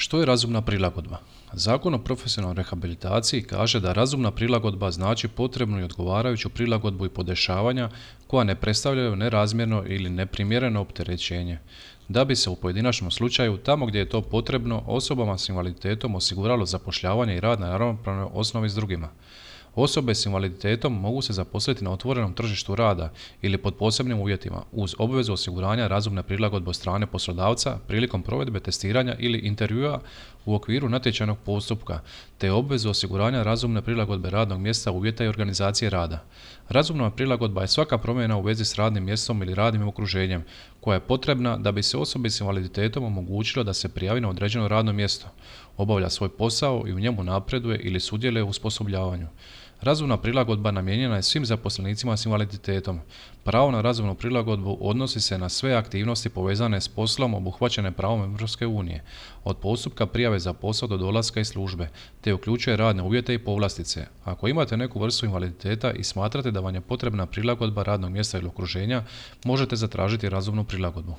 Što je razumna prilagodba? Zakon o profesionalnoj rehabilitaciji kaže da razumna prilagodba znači potrebnu i odgovarajuću prilagodbu i podešavanja koja ne predstavljaju nerazmjerno ili neprimjereno opterećenje, da bi se u pojedinačnom slučaju, tamo gdje je to potrebno, osobama s invaliditetom osiguralo zapošljavanje i rad na ravnopravnoj osnovi s drugima. Osobe s invaliditetom mogu se zaposliti na otvorenom tržištu rada ili pod posebnim uvjetima uz obvezu osiguranja razumne prilagodbe od strane poslodavca prilikom provedbe testiranja ili intervjua u okviru natječajnog postupka, te obvezu osiguranja razumne prilagodbe radnog mjesta, uvjeta i organizacije rada. Razumna prilagodba je svaka promjena u vezi s radnim mjestom ili radnim okruženjem koja je potrebna da bi se osobi s invaliditetom omogućilo da se prijavi na određeno radno mjesto, obavlja svoj posao i u njemu napreduje ili sudjeluje u osposobljavanju. Razumna prilagodba namijenjena je svim zaposlenicima s invaliditetom. Pravo na razumnu prilagodbu odnosi se na sve aktivnosti povezane s poslom obuhvaćene pravom Europske unije, od postupka prijave za posao do dolaska iz službe, te uključuje radne uvjete i povlastice. Ako imate neku vrstu invaliditeta i smatrate da vam je potrebna prilagodba radnog mjesta ili okruženja, možete zatražiti razumnu prilagodbu.